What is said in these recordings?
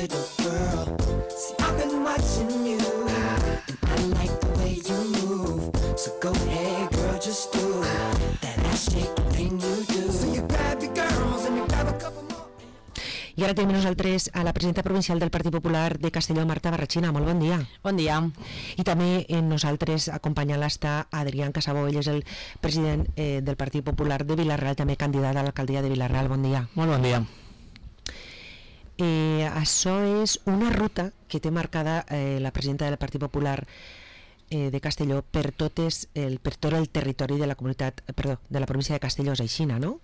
Little girl, see I've been watching you, and I like the way you move. So go ahead, girl, just do that ass shaking thing you do. So you grab your girls and you grab a couple more. I ara tenim nosaltres a la presidenta provincial del Partit Popular de Castelló, Marta Barrachina. Molt bon dia. Bon dia. I també nosaltres acompanyant-la està Adrián Casabó, ell és el president del Partit Popular de Vila-real, també candidat a l'alcaldia de Vila-real. Bon dia. Molt bon dia. Això és una ruta que té marcada la presidenta del Partit Popular de Castelló per tot el territori de la comunitat, de la província de Castelló, és aixina, no?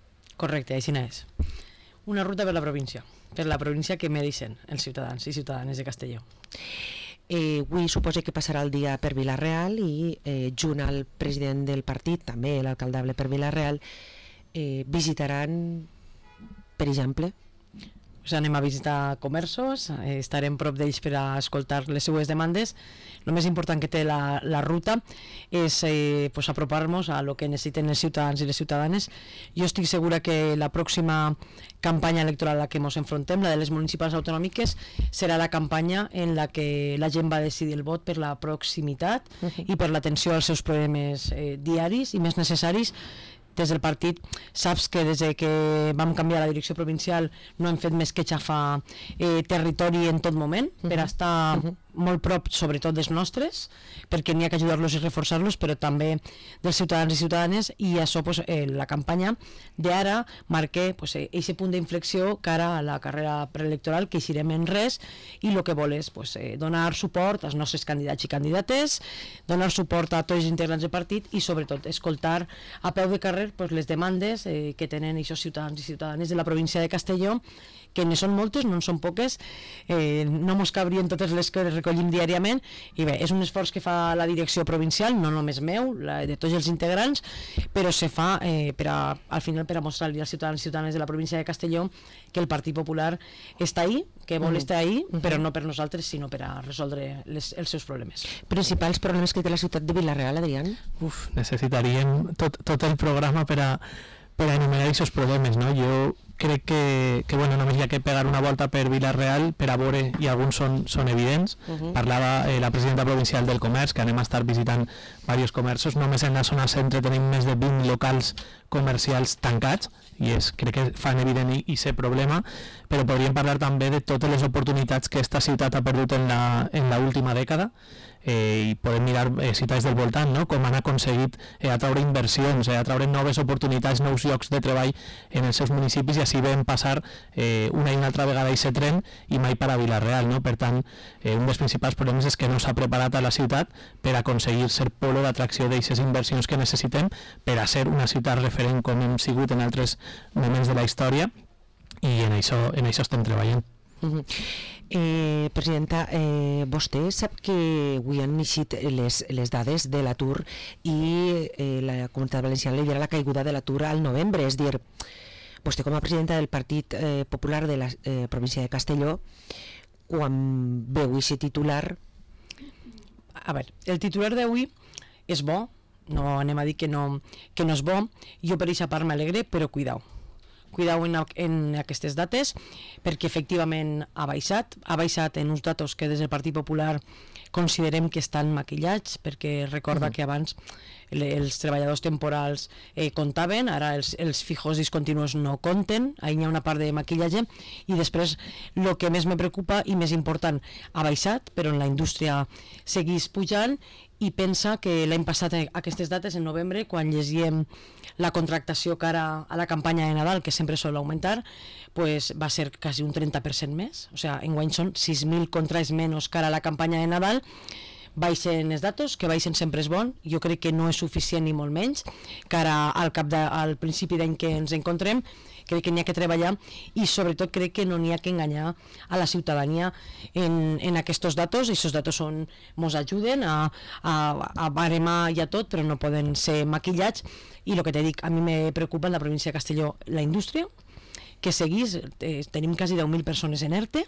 Correcte, aixina és. Una ruta per la província que mereixen els ciutadans i ciutadanes de Castelló. Avui suposa que passarà el dia per Vila-real i junt al president del partit, també l'alcaldable per Vila-real, visitaran, per exemple, anem a visitar comerços, estarem prop d'ells per a escoltar les seues demandes. El més important que té la ruta és apropar-nos a lo que necessiten els ciutadans i les ciutadanes. Jo estic segura que la pròxima campanya electoral a la que ens enfrontem, la de les municipals autonòmiques, serà la campanya en la que la gent va decidir el vot per la proximitat i per l'atenció als seus problemes diaris i més necessaris. Des del partit saps que des que vam canviar la direcció provincial no hem fet més que xafar territori en tot moment per estar molt prop sobretot dels nostres, perquè n'hi ha que ajudar-los i reforçar-los, però també dels ciutadans i ciutadanes, i això la campanya d'ara marca aquest punt d'inflexió cara a la carrera preelectoral, que eixirem en res, i el que vol és donar suport als nostres candidats i candidates, donar suport a tots els integrants del partit i sobretot escoltar a peu de carrer les demandes que tenen aquests ciutadans i ciutadanes de la província de Castelló, que ne són moltes, no en són poques, no mos cabrien totes les que recollim diàriament, i bé, és un esforç que fa la direcció provincial, no només meu, de tots els integrants, però se fa al final per a mostrar-li als ciutadans i ciutadanes de la província de Castelló que el Partit Popular està ahí, que vol estar ahí, però no per nosaltres, sinó per a resoldre els seus problemes. Principals problemes que té la ciutat de Vila-real, Adrián? Necessitaríem tot el programa per a enumerar aquests problemes, no? Jo crec que només hi ha que pegar una volta per Vila-real per a veure, i alguns són evidents. Parlava la presidenta provincial del comerç, que anem a estar visitant diversos comerços. Només en la zona centre tenim més de 20 locals comercials tancats, i crec que fan evident aquest problema, però podríem parlar també de totes les oportunitats que esta ciutat ha perdut en l'última dècada, i podem mirar ciutats del voltant, no? Com han aconseguit atraure inversions, atraure noves oportunitats, nous llocs de treball en els seus municipis, i així vam passar una i una altra vegada aquest tren i mai per a Vila-real, no? Per tant, un dels principals problemes és que no s'ha preparat a la ciutat per aconseguir ser polo d'atracció d'aquestes inversions que necessitem per a ser una ciutat referent com hem sigut en altres moments de la història, i en això estem treballant. Presidenta, vostè sap que avui han eixit les dades de l'atur i la Comunitat Valenciana lidera la caiguda de l'atur al novembre, és a dir, vostè com a presidenta del Partit Popular de la província de Castelló, quan veu aquest titular... A veure, el titular d'avui és bo, no anem a dir que no és bo, jo per aquesta part m'alegre, però cuidao en aquestes dates, perquè efectivament ha baixat en uns datos que des del Partit Popular considerem que estan maquillats, perquè recorda que abans els treballadors temporals comptaven, ara els fijos discontinus no compten, ahí hi ha una part de maquillatge, i després el que més me preocupa i més important, ha baixat, però en la indústria seguís pujant, i pensa que l'any passat aquestes dates, en novembre, quan llegíem la contractació cara a la campanya de Nadal, que sempre sol augmentar, pues va ser quasi un 30% més, o sigui, enguany són 6.000 contrats menys cara a la campanya de Nadal. Baixen els datos, que baixen sempre és bon, jo crec que no és suficient ni molt menys, cara al principi d'any que ens encontrem, crec que n'hi ha que treballar, i sobretot crec que no n'hi ha que enganyar a la ciutadania en aquests datos. Aquests datos ens ajuden a baremar ja tot, però no poden ser maquillats, i el que te dic, a mi me preocupa en la província de Castelló la indústria, que seguís, tenim quasi 10.000 persones en ERTE,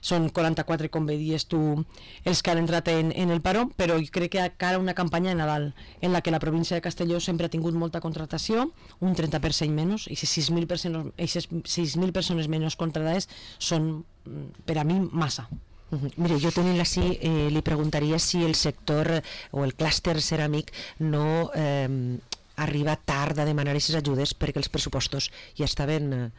són 44, com bé dius tu, els que han entrat en el paro, però jo crec que cara una campanya de Nadal en la que la província de Castelló sempre ha tingut molta contractació, un 30% menys, i 6.000 persones menys contractades són, per a mi, massa. Mire, jo tenint així, li preguntaria si el sector o el clúster ceràmic no arriba tard a demanar aquestes ajudes perquè els pressupostos ja estaven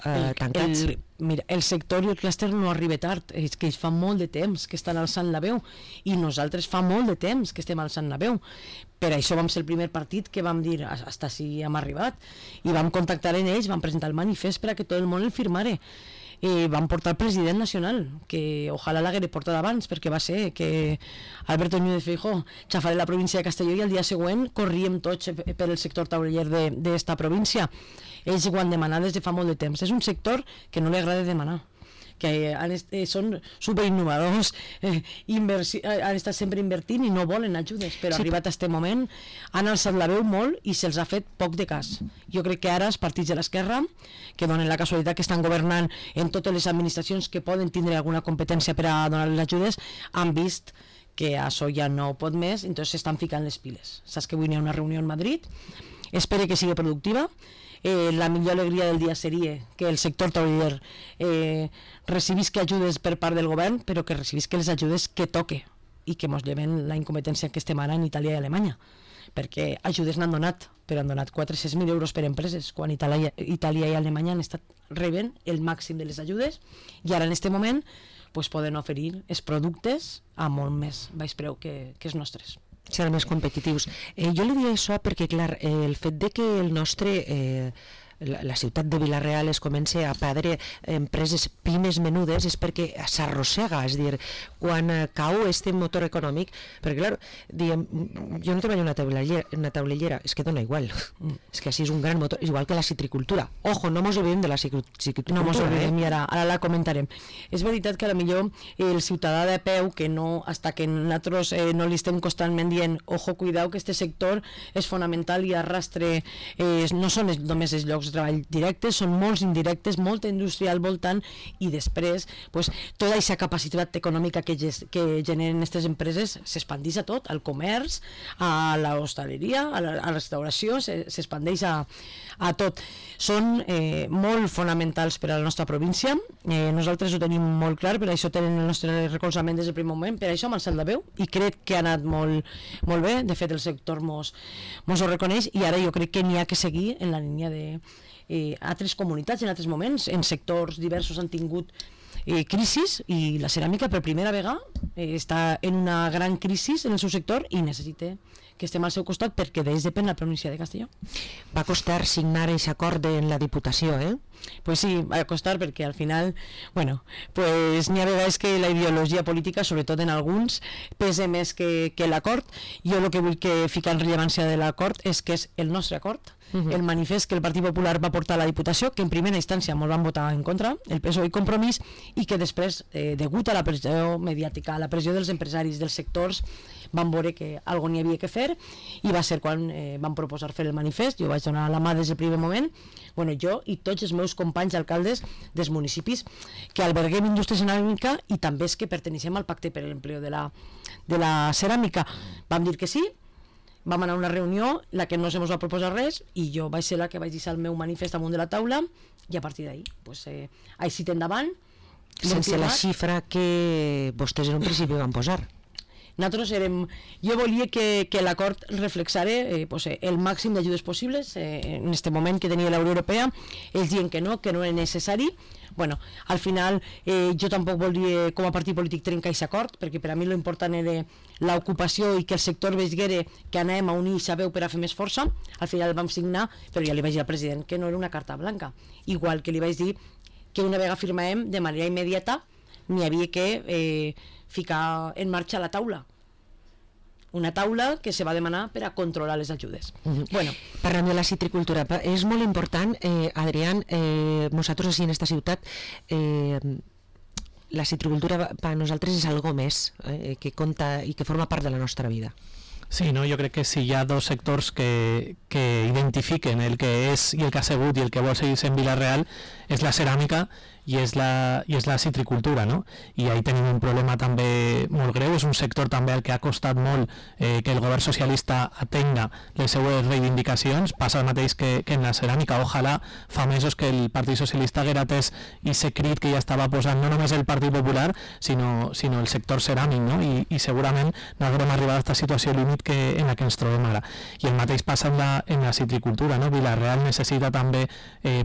tancats. Mira, el sector i el clúster no arriba tard, és que fa molt de temps que estan alçant la veu, i nosaltres fa molt de temps que estem alçant la veu. Per això vam ser el primer partit que vam dir hasta si hem arribat, i vam contactar en ells, vam presentar el manifest per a que tot el món el firmare. Van portar el president nacional, que ojalà l'haguera portat abans, perquè va ser que Alberto Núñez Feijóo xafaré la província de Castelló i el dia següent corríem tots per el sector tauliller d'esta província. Ells ho han demanat des de fa molt de temps. És un sector que no li agrada demanar, que són superinnovadors, han estat sempre invertint i no volen ajudes, però arribat a aquest moment han alçat la veu molt i se'ls ha fet poc de cas. Jo crec que ara els partits de l'esquerra, que donen la casualitat que estan governant en totes les administracions que poden tindre alguna competència per a donar les ajudes, han vist que això ja no pot més, entonces s'estan ficant les piles. Saps que avui hi ha una reunió en Madrid, espero que sigui productiva. La millor alegria del dia seria que el sector tauliller recibisca ajudes per part del govern, però que recibisca les ajudes que toque i que mos lleven la incompetència que estem ara en Itàlia i Alemanya, perquè ajudes n'han donat, però han donat 400.000 euros per empreses, quan Itàlia i Alemanya han estat rebent el màxim de les ajudes, i ara en aquest moment pues, poden oferir els productes a molt més baix preu que els nostres. Seran més competitius. Jo li diria això perquè, clar, el fet de que el nostre... la ciutat de Vila-real es comença a perdre empreses pimes menudes és perquè s'arrossega, és dir, quan cau este motor econòmic, perquè clar, diem, jo no treballo en una taulellera, és que dona igual, és que així és un gran motor, igual que la citricultura. Ojo, no mos oblidem de la citricultura. No mos oblidem, i ara la comentarem. És veritat que a la millor el ciutadà de peu, que no, hasta que nosaltres no li estem constantment dient, ojo, cuidao, que este sector és fonamental i arrastre, no són només els llocs de treball directes, són molts indirectes, molta indústria al voltant, i després pues, tota aquesta capacitat econòmica que generen aquestes empreses s'expandeix a tot, al comerç, a l'hostaleria, a la restauració, s'expandeix a tot. Són molt fonamentals per a la nostra província, nosaltres ho tenim molt clar, per això tenen el nostre recolzament des del primer moment, per això m'ha alçat la veu i crec que ha anat molt bé. De fet el sector mos ho reconeix, i ara jo crec que n'hi ha que seguir en la línia de altres comunitats en altres moments, en sectors diversos han tingut crisis, i la ceràmica per primera vegada està en una gran crisi en el seu sector i necessita que estem al seu costat, perquè d'ells depèn la província de Castelló. Va costar signar aquest acord en la Diputació, Pues sí, va costar, perquè al final, bueno, pues n'hi ha vegades que la ideologia política, sobretot en alguns, pesa més que l'acord. Jo el que vull ficar en rellevància de l'acord és que és el nostre acord, el manifest que el Partit Popular va portar a la Diputació, que en primera instància molt van votar en contra, el PSOE i Compromís, i que després, degut a la pressió mediàtica, a la pressió dels empresaris, dels sectors, van veure que alguna n'hi havia que fer, i va ser quan van proposar fer el manifest. Jo vaig donar la mà des del primer moment, bueno, jo i tots els meus companys alcaldes dels municipis que alberguem indústria ceràmica i també és que perteneixem al pacte per l'empleo de la ceràmica. Vam dir que sí, vam anar a una reunió, la que no se mos va proposar res, i jo vaig ser la que vaig deixar el meu manifest amunt de la taula, i a partir d'ahí, pues, així endavant. Sense la xifra que vostès en un principi van posar. Nosaltres jo volia que l'acord reflexara el màxim d'ajudes possibles en aquest moment que tenia la Unió Europea. Ells diuen que no és necessari. Bueno, al final jo tampoc volia com a partit polític trencar aquest acord, perquè per a mi l'important era l'ocupació i que el sector veiguera que anem a unir i veu per a fer més força. Al final el vam signar, però ja li vaig dir al president que no era una carta blanca, igual que li vaig dir que una vegada firmàvem de manera immediata n'hi havia que ficar en marxa la taula, una taula que se va demanar per a controlar les ajudes. Bueno, parlant de la citricultura, és molt important, Adrián, nosaltres així en esta ciutat la citricultura per a nosaltres és algo més que compta i que forma part de la nostra vida. Sí, no? Jo crec que si hi ha dos sectors que identifiquen el que és i el que ha sigut i el que vol seguir sent Vila-real, és la ceràmica i és la citricultura, no? I ahí tenim un problema també molt greu, és un sector també al que ha costat molt que el govern socialista atenga les seues reivindicacions, passa el mateix que en la ceràmica. Ojalà fa mesos que el Partit Socialista haguera atès i se crit que ja estava posant no només el Partit Popular, sinó el sector ceràmic, no? I segurament no haurem arribat a aquesta situació límit en la que ens trobem ara. I el mateix passa en la citricultura, no? Vila-real necessita també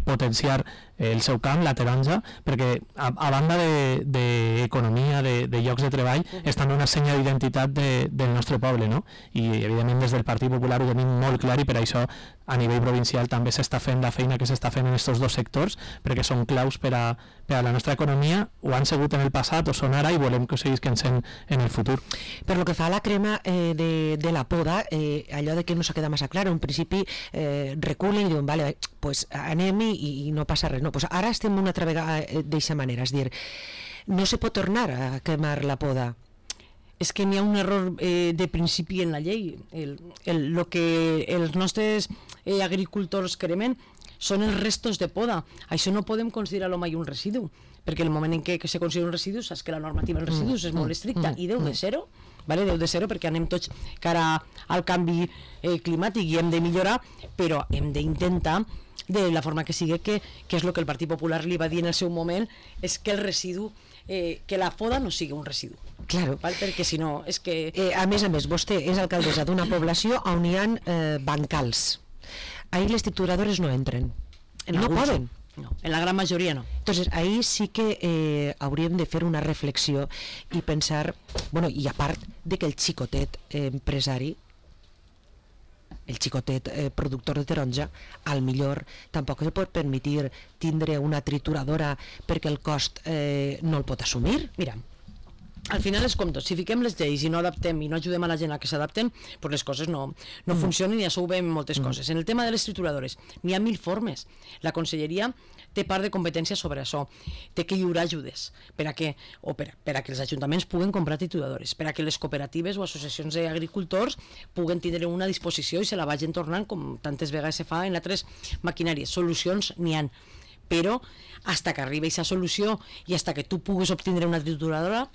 potenciar el seu camp, la taronja, perquè a banda d'economia, de llocs de treball, és també una senya d'identitat del nostre poble, no? I evidentment des del Partit Popular ho tenim molt clar i per això a nivell provincial també s'està fent la feina que s'està fent en aquests dos sectors, perquè són claus per a la nostra economia, ho han sigut en el passat o són ara i volem que ho seguisquen sent en el futur. Per lo que fa a la crema de la poda, allò de que no s'ha quedat massa clar, en principi reculen i diuen, vale, pues anem i no passa res, no, pues ara estem una altra vegada d'eixa manera, és dir, no se pot tornar a cremar la poda. És que n'hi ha un error de principi en la llei. Lo que els nostres agricultors cremen són els restos de poda. Això no podem considerar-lo mai un residu, perquè el moment en què se considera un residu saps que la normativa dels residus és molt estricta i deu de ser-ho, vale? Deu de ser-ho perquè anem tots cara al canvi climàtic i hem de millorar, però hem d'intentar de la forma que sigui, que és el que el Partit Popular li va dir en el seu moment, és que el residu, que la poda no sigui un residu. Claro. Val? Perquè si no, és que... A més, vostè és alcaldessa d'una població on hi ha bancals. Ahí les trituradores no entren. No poden. No, en la gran majoria no. Entonces, ahí sí que hauríem de fer una reflexió i pensar, bueno, i a part de que el xicotet empresari, el xicotet productor de taronja, al millor tampoc se pot permetre tindre una trituradora perquè el cost no el pot assumir. Mira, al final és com tot, si fiquem les lleis i no adaptem i no ajudem a la gent a que s'adapten, pues les coses no funcionen i això ho veiem moltes coses. En el tema de les trituradores, n'hi ha 1000 formes. La conselleria té part de competència sobre això, té que lliurar ajudes per a que els ajuntaments puguen comprar trituradores, per a que les cooperatives o associacions d'agricultors puguen tindre una disposició i se la vagin tornant com tantes vegades se fa en altres maquinàries. Solucions n'hi ha, però hasta que arribi aquesta solució i hasta que tu puguis obtindre una trituradora,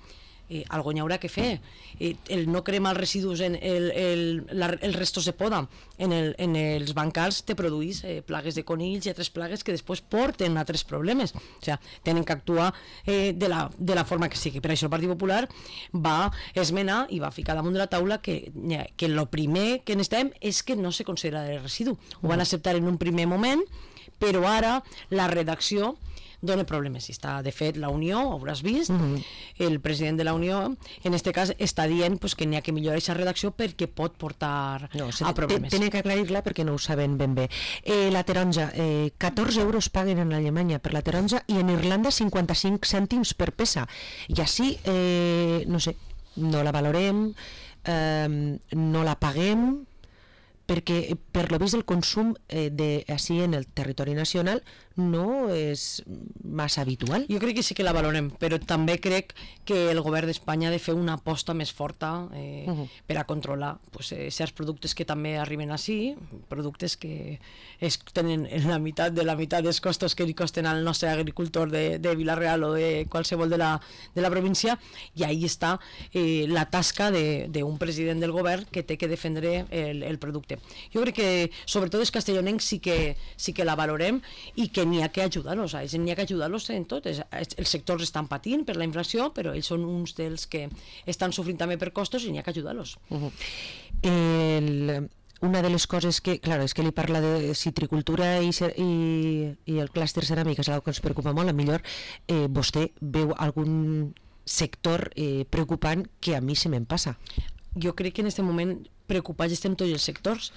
algo n'hi haurà que fer. El no cremar els residus, els restos de poda en els bancals te produeix plagues de conills i altres plagues que després porten a altres problemes. O sigui, tenen que actuar de la forma que sigui. Per això el Partit Popular va esmenar i va ficar damunt de la taula que el primer que necessitem és que no se considera de residu. Ho van acceptar en un primer moment, però ara la redacció dona problemes. De fet, la Unió, hauràs vist, el president de la Unió, en aquest cas, està dient que n'hi ha que millorar aquesta redacció perquè pot portar a problemes. Tenen que aclarir-la perquè no ho saben ben bé. La taronja, 14 euros paguen en Alemanya per la taronja i en Irlanda 55 cèntims per peça. I així, no sé, no la valorem, no la paguem, perquè per lo vist el consum així en el territori nacional no és massa habitual. Jo crec que sí que la valorem, però també crec que el govern d'Espanya ha de fer una aposta més forta per a controlar certs productes que també arriben així, productes que tenen la meitat dels costos que li costen al nostre agricultor de Vila-real o de qualsevol de la província, i ahí està la tasca d'un president del govern que té que defendre el producte. Jo crec que sobretot els castellonencs sí que la valorem i que n'hi ha que ajudar-los, n'hi ha que ajudar-los en tot. Els sectors estan patint per la inflació, però ells són uns dels que estan sofrint també per costos i n'hi ha que ajudar-los. Una de les coses que, clar, és que li parla de citricultura i el clúster ceràmic, és una que ens preocupa molt. A millor vostè veu algun sector preocupant que a mi se me'n passa. Jo crec que en aquest moment preocupats estem tots els sectors.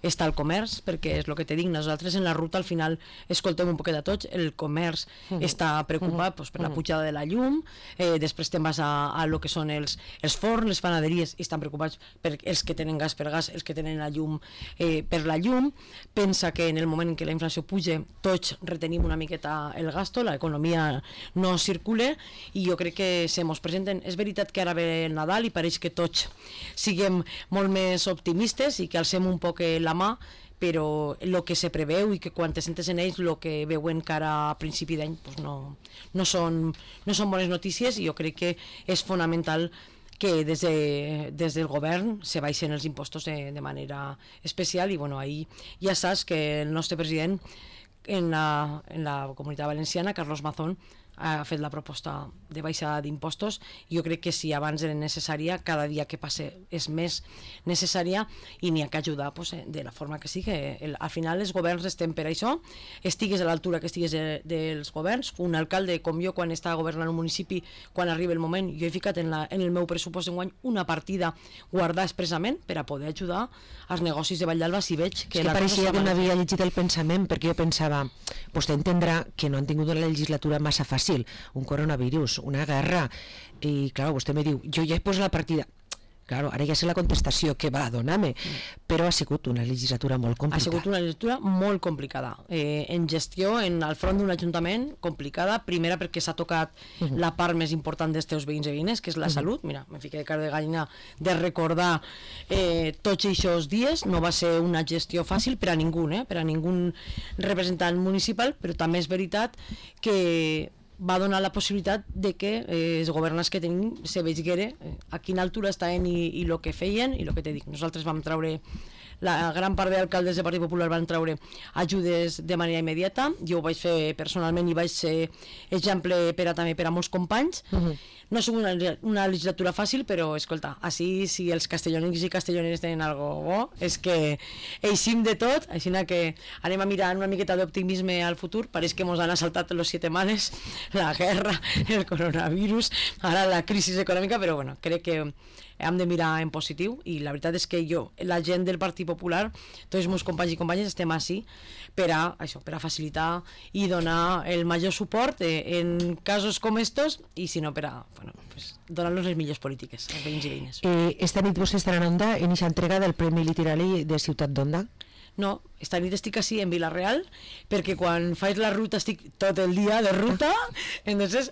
Està el comerç, perquè és el que te dic, nosaltres en la ruta al final escoltem un poquet de tots. El comerç està preocupat per la pujada de la llum, després te'n vas a lo que són els forns, les panaderies, i estan preocupats per els que tenen gas per gas, els que tenen la llum per la llum. Pensa que en el moment en què la inflació puja tots retenim una miqueta el gasto, l'economia no circula, i jo crec que se mos presenten. És veritat que ara ve el Nadal i pareix que tots siguem molt més optimistes i que alcem un poc la mà, però el que se preveu i que quan te sentes en ells el que veuen cara a principi d'any pues no són bones notícies, i jo crec que és fonamental que des del govern se baixen els impostos de manera especial. I bueno, ahir ja saps que el nostre president en la Comunitat Valenciana, Carlos Mazón, ha fet la proposta de baixada d'impostos. Jo crec que si abans era necessària, cada dia que passe és més necessària, i n'hi ha que ajudar pues, de la forma que sigui. Al final els governs estem per això, estigues a l'altura que estigues dels governs. Un alcalde com jo, quan estava governant un municipi, quan arriba el moment, jo he ficat en el meu pressupost enguany una partida guardada expressament per a poder ajudar als negocis de Vall d'Alba si veig que la cosa pareixia que no havia llegit el pensament, perquè jo pensava, vostè entendrà que no han tingut una legislatura massa fàcil, un coronavirus, una guerra, i clar, vostè me diu, jo ja he posat la partida. Claro, ara ja sé la contestació que va donar-me, però ha sigut una legislatura molt complicada. Ha sigut una legislatura molt complicada. En gestió, al front d'un ajuntament, complicada. Primera perquè s'ha tocat la part més important dels teus veïns i veïnes, que és la salut. Mira, me fiqué de cara de gallina de recordar tots aquests dies. No va ser una gestió fàcil per a ningú, per a ningú representant municipal, però també és veritat que va donar la possibilitat de que els governants que tenim se veiguera a quina altura estaven i el que feien i el que te dic. Nosaltres vam treure, la gran part d'alcaldes del Partit Popular van treure ajudes de manera immediata. Jo ho vaig fer personalment i vaig ser exemple també per a molts companys. No ha sigut una legislatura fàcil, però escolta, així si els castellonins i castelloneres tenen algo bo, és que eixim de tot, així que anem a mirar una miqueta d'optimisme al futur. Pareix que ens han assaltat los 7 males, la guerra, el coronavirus, ara la crisi econòmica, però bueno, crec que hem de mirar en positiu, i la veritat és que la gent del Partit Popular, tots els meus companys i companyes, estem així per a facilitar i donar el major suport en casos com estos, i si no per a donar-los les millors polítiques als veïns i veïnes. Esta nit vostè estarà en Onda en aquesta entrega del Premi Literari de Ciutat d'Onda? No, esta nit estic així en Vila-real, perquè quan faig la ruta estic tot el dia de ruta, entonces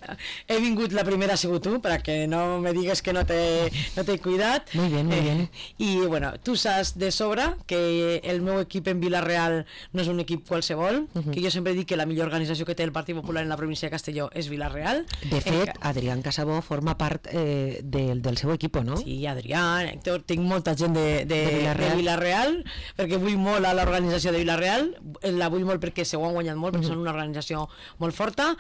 he vingut, la primera ha sigut tu, perquè no me digues que no t'he cuidat. Muy bien, muy bien. I bueno, tu saps de sobre que el meu equip en Vila-real no és un equip qualsevol, que jo sempre dic que la millor organització que té el Partit Popular en la província de Castelló és Vila-real. De fet, Adrián Casabó forma part del seu equip, no? Sí, Adrián, Héctor, tinc molta gent de Vila-real, perquè vull molt a l'organització de Vila-real, la vull molt perquè se ho han guanyat molt, perquè són una organització molt forta.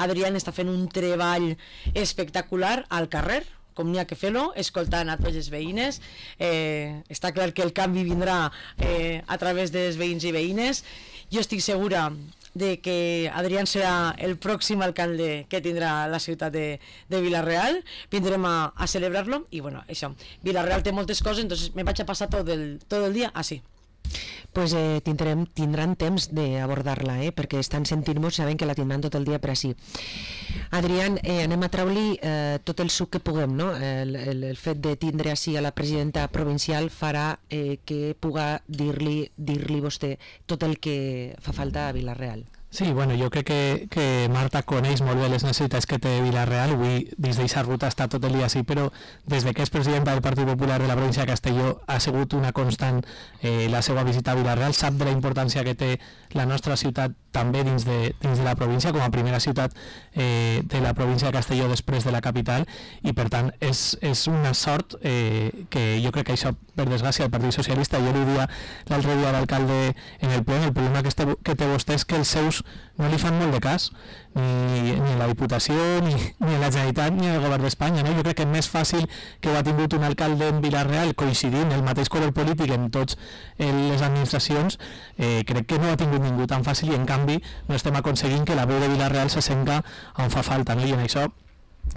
Adrián està fent un treball espectacular al carrer, com n'hi ha que fer-lo, escoltant a tots els veïnes. Està clar que el canvi vindrà a través dels veïns i veïnes. Jo estic segura de que Adrián serà el pròxim alcalde que tindrà la ciutat de Vila-real. Vindrem a celebrar-lo, i bueno, això, Vila-real té moltes coses, entonces me vaig a passar tot el dia així. Pues tindran temps d'abordar-la, perquè estan sentint-nos, saben que la tindran tot el dia per així. Adrián, anem a treure-li tot el suc que puguem, no? El fet de tindre així a la presidenta provincial farà que puga dir-li vostè tot el que fa falta a Vila-real. Sí, bueno, jo crec que Marta coneix molt bé les necessitats que té Vila-real. Avui, dins d'aquesta ruta, està tot el dia així, però des que és presidenta del Partit Popular de la província de Castelló ha sigut una constant la seva visita a Vila-real. Sap de la importància que té la nostra ciutat també dins de la província, com a primera ciutat de la província de Castelló després de la capital, i per tant és una sort que jo crec que això, per desgràcia, el Partit Socialista, jo li dia l'altre dia a l'alcalde en el ple, el problema que té vostè és que els seus no li fan molt de cas, ni la Diputació, ni la Generalitat, ni el Govern d'Espanya, no? Jo crec que és més fàcil que ho ha tingut un alcalde en Vila-real coincidint el mateix color polític en tots les administracions. Crec que no ha tingut ningú tan fàcil, i en canvi no estem aconseguint que la veu de Vila-real se senta on fa falta, no? I en això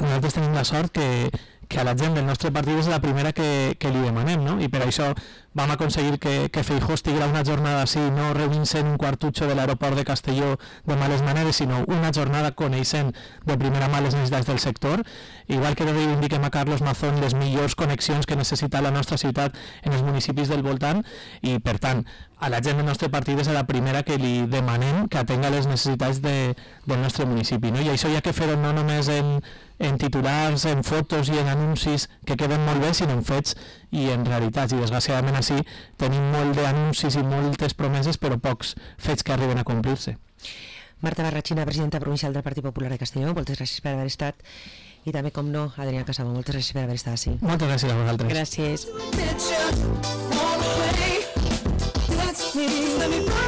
nosaltres tenim la sort que a la gent del nostre partit és la primera que li demanem, no? I per això vam aconseguir que Feijóo estiguera una jornada així, no reunint-se en un quartutxo de l'aeroport de Castelló de males maneres, sinó una jornada coneixent de primera mà les necessitats del sector, igual que reivindiquem a Carlos Mazón les millors connexions que necessita la nostra ciutat en els municipis del voltant, i per tant a la gent del nostre partit és la primera que li demanem que atenga les necessitats del nostre municipi, no? I això hi ha que fer-ho no només en titulars, en fotos i en anuncis que queden molt bé, sinó en fets i en realitats, i desgraciadament així tenim molt d'anuncis i moltes promeses però pocs fets que arriben a complir-se. Marta Barrachina, presidenta provincial del Partit Popular de Castelló, moltes gràcies per haver estat, i també, com no, Adrià Casabó, moltes gràcies per haver estat així. Moltes gràcies a vosaltres. Gràcies. Let me